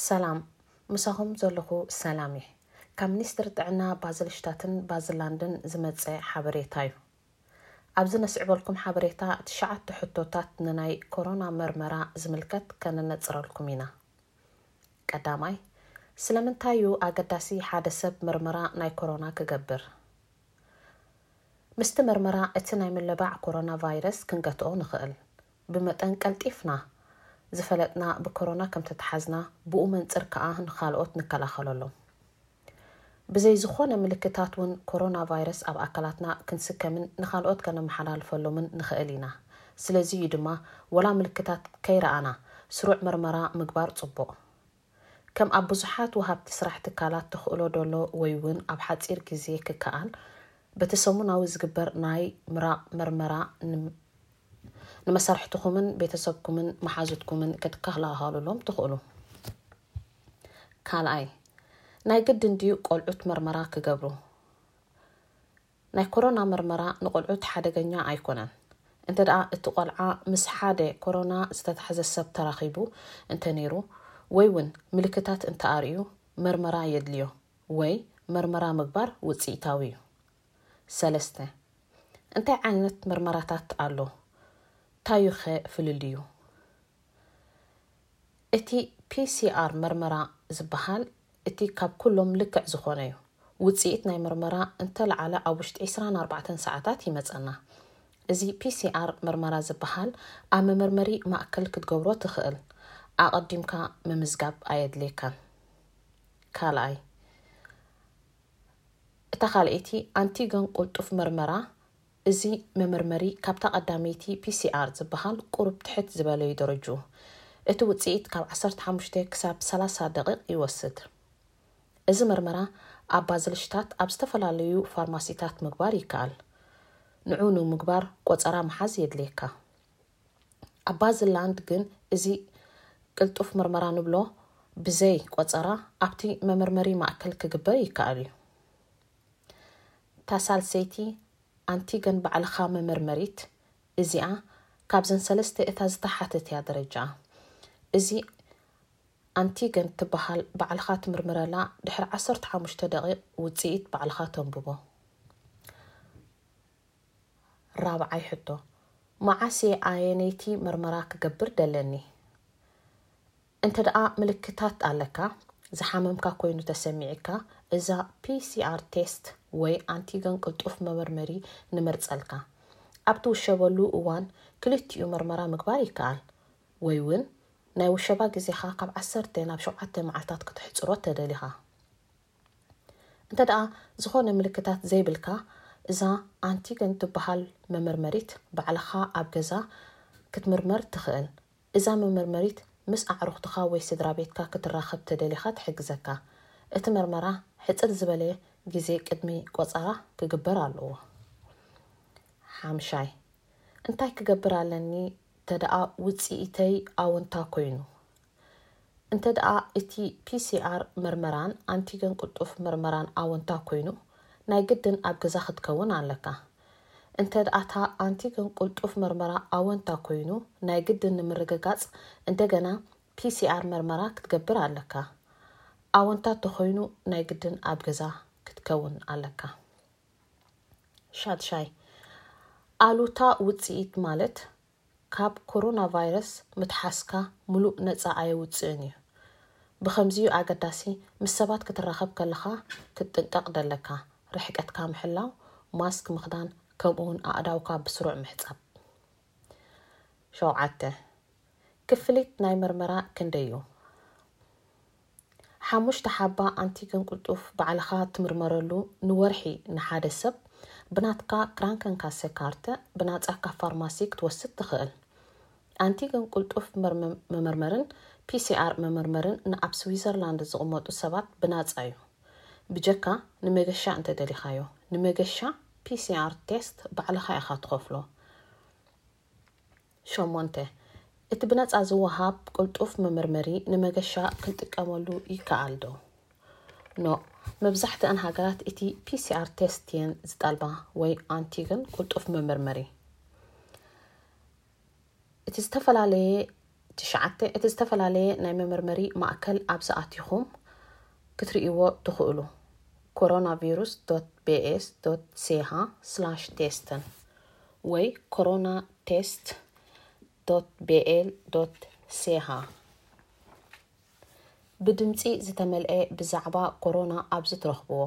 ሰላም፣ ምሳኹም ዘለኹ ሰላም እየ። ካብ ሚኒስትሪ ጥዕና ባዝልሽታትን ባዝላንድን ዝመጸ ሓበሬታ እዩ። ኣብዚ ነስዕበልኩም ሓበሬታ፣ ትሽዓተ ሕቶታት ንናይ ኮሮና መርመራ ዝምልከት ከነነጽረልኩም ኢና። ቀዳማይ፣ ስለምንታይ እዩ ኣገዳሲ ሓደ ሰብ መርመራ ናይ ኮሮና ክገብር? ምስቲ መርመራ እቲ ናይ ምልባዕ ኮሮና ቫይረስ ክንገትኦ ንኽእል። ብመጠን ቀልጢፍና ዝፈለጥና ብኮሮና ከም ተተሓዝና፣ ብኡ መንጽር ከኣ ንኻልኦት ንከላኸለሎም። ብዘይ ዝኾነ ምልክታት እውን ኮሮና ቫይረስ ኣብ ኣካላትና ክንስከምን ንኻልኦት ከነመሓላልፈሎምን ንኽእል ኢና። ስለዚ እዩ ድማ፣ ወላ ምልክታት ከይረኣና ስሩዕ መርመራ ምግባር ጽቡቕ። ከም ኣብ ብዙሓት ወሃብቲ ስራሕ ትካላት ተኽእሎ ደሎ ወይ እውን ኣብ ሓጺር ግዜ ክከኣል፣ በቲ ሰሙናዊ ዝግበር ናይ ምራቕ መርመራ ን-፣ ንመሳርሕትኹምን ቤተሰብኩምን መሓዙትኩምን ክትከላኸሉሎም ትኽእሉ። ካልኣይ፣ ናይ ግድን ድዩ ቆልዑት መርመራ ክገብሩ? ናይ ኮሮና መርመራ ንቆልዑት ሓደገኛ ኣይኮነን። እንተ ደኣ እቲ ቆልዓ ምስ ሓደ ኮሮና ዝተታሕዘ ሰብ ተራኺቡ እንተ ነይሩ፣ ወይ እውን ምልክታት እንተ ኣርእዩ፣ መርመራ የድልዮ፣ ወይ መርመራ ምግባር ውጽኢታዊ እዩ። ሰለስተ፣ እንታይ ዓይነት መርመራታት ኣሎ? ታዩኸ ፍልልዩ? እቲ ፒሲኣር መርመራ ዝበሃል እቲ ካብ ኩሎም ልክዕ ዝኾነ እዩ። ውጽኢት ናይ መርመራ እንተለዓለ ኣብ ውሽጢ ዕስራን ኣርባዕተን ሰዓታት ይመጸና። እዚ ፒሲኣር መርመራ ዝበሃል ኣብ መመርመሪ ማእከል ክትገብሮ ትኽእል። ኣቐዲምካ ምምዝጋብ ኣየድልየካን። ካልኣይ፣ እታ ካልኣይቲ ኣንቲገን ቅልጡፍ መርመራ። እዚ መመርመሪ ካብታ ቀዳመይቲ ፒሲኣር ዝበሃል ቁሩብ ትሕት ዝበለ እዩ ደረጅኡ። እቲ ውጽኢት ካብ ዓሰርተ ሓሙሽተ ክሳብ ሰላሳ ደቂቕ ይወስድ። እዚ መርመራ ኣብ ባዝልሽታት ኣብ ዝተፈላለዩ ፋርማሲታት ምግባር ይከኣል። ንዑ ንምግባር ቆጸራ ምሓዝ የድልየካ። ኣብ ባዝላንድ ግን እዚ ቅልጡፍ መርመራ ንብሎ ብዘይ ቆጸራ ኣብቲ መመርመሪ ማእከል ክግበር ይከኣል እዩ። እታ ሳልሰይቲ ኣንቲገን ባዕልኻ መመርመሪት፣ እዚኣ ካብዘን ሰለስተ እታ ዝተሓተት እያ ደረጃኣ። እዚ ኣንቲገን ትበሃል ባዕልኻ ትምርምረላ፣ ድሕሪ ዓሰርተ ሓሙሽተ ደቂቕ ውጽኢት ባዕልኻ ተንብቦ። ራብዓይ ሕቶ፣ መዓስ እየ ኣየነይቲ መርመራ ክገብር ደለኒ? እንተ ደኣ ምልክታት ኣለካ፣ ዝሓመምካ ኮይኑ ተሰሚዕካ፣ እዛ ፒሲኣር ቴስት ወይ ኣንቲገን ቅልጡፍ መመርመሪ ንመርጸልካ። ኣብ ትውሸበሉ እዋን ክልቲኡ መርመራ ምግባር ይከኣል፣ ወይ እውን ናይ ውሸባ ግዜኻ ካብ ዓሰርተ ናብ ሸውዓተ መዓልታት ከተሕጽሮ ተደሊኻ። እንተ ደኣ ዝኾነ ምልክታት ዘይብልካ፣ እዛ ኣንቲገን ትበሃል መመርመሪት ባዕልኻ ኣብ ገዛ ክትምርመር ትኽእል። እዛ መመርመሪት ምስ ኣዕሩኽትኻ ወይ ስድራ ቤትካ ክትራኸብ ተደሊኻ ትሕግዘካ። እቲ መርመራ ሕጽር ዝበለ ግዜ ቅድሚ ቆጸራ ክግበር ኣለዎ። ሓምሻይ፣ እንታይ ክገብር ኣለኒ እንተ ደኣ ውጽኢተይ ኣወንታ ኮይኑ? እንተ ደኣ እቲ ፒሲኣር መርመራን ኣንቲገን ቅልጡፍ መርመራን ኣወንታ ኮይኑ፣ ናይ ግድን ኣብ ገዛ ክትከውን ኣለካ። እንተ ደኣ እታ ኣንቲገን ቅልጡፍ መርመራ ኣወንታ ኮይኑ፣ ናይ ግድን ንምርግጋጽ እንደገና ፒሲኣር መርመራ ክትገብር ኣለካ። ኣወንታ ተኾይኑ፣ ናይ ግድን ኣብ ገዛ ክትከውን ኣለካ። ሻድሻይ፣ ኣሉታ ውጽኢት ማለት ካብ ኮሮና ቫይረስ ምትሓዝካ ምሉእ ነጻ ኣየውጽእን እዩ። ብኸምዚዩ ኣገዳሲ፣ ምስ ሰባት ክትራኸብ ከለኻ ክትጥንቀቕ ደለካ። ርሕቀትካ ምሕላው፣ ማስክ ምኽዳን፣ ከምኡውን ኣእዳውካ ብስሩዕ ምሕጻብ። ሸውዓተ፣ ክፍሊት ናይ መርመራ ክንደይ እዩ? ሓሙሽተ ሓባ ኣንቲገን ቅልጡፍ ባዕልኻ ትምርመረሉ ንወርሒ ንሓደ ሰብ ብናትካ ክራንከንካሰ ካርተ ብናጻ ካብ ፋርማሲ ክትወስድ ትኽእል። ኣንቲገን ቅልጡፍ መርመ-፣ መመርመርን ፒሲኣር መመርመርን ንኣብ ስዊዘርላንድ ዝቕመጡ ሰባት ብናጻ እዩ። ብጀካ ንመገሻ እንተደሊኻዮ፣ ንመገሻ ፒሲኣር ቴስት ባዕልኻ ኢኻ ትኸፍሎ። ሸሞንተ፣ እቲ ብነጻ ዝወሃብ ቅልጡፍ መመርመሪ ንመገሻ ክንጥቀመሉ ይከኣል ዶ? ኖእ፣ መብዛሕትኣን ሃገራት እቲ ፒሲኣር ቴስት እየን ዝጠልባ ወይ ኣንቲገን ቅልጡፍ መመርመሪ። እቲ ዝተፈላለየ ትሽዓተ፣ እቲ ዝተፈላለየ ናይ መመርመሪ ማእከል ኣብ ዝኣቲኹም ክትርእይዎ ትኽእሉ። coronavirus.bs.ch/testen ወይ coronatest.bl.ch። ብድምጺ ዝተመልአ ብዛዕባ ኮሮና ኣብዚ ትረኽብዎ።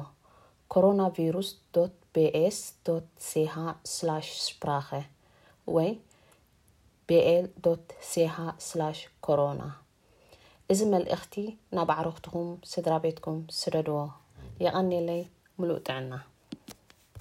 coronavirus.bs.ch/sprache ወይ bl.ch/corona። እዚ መልእኽቲ ናብ ኣዕሩኽትኹም፣ ስድራ ቤትኩም ስደድዎ። የቐንየለይ፣ ምሉእ ጥዕና።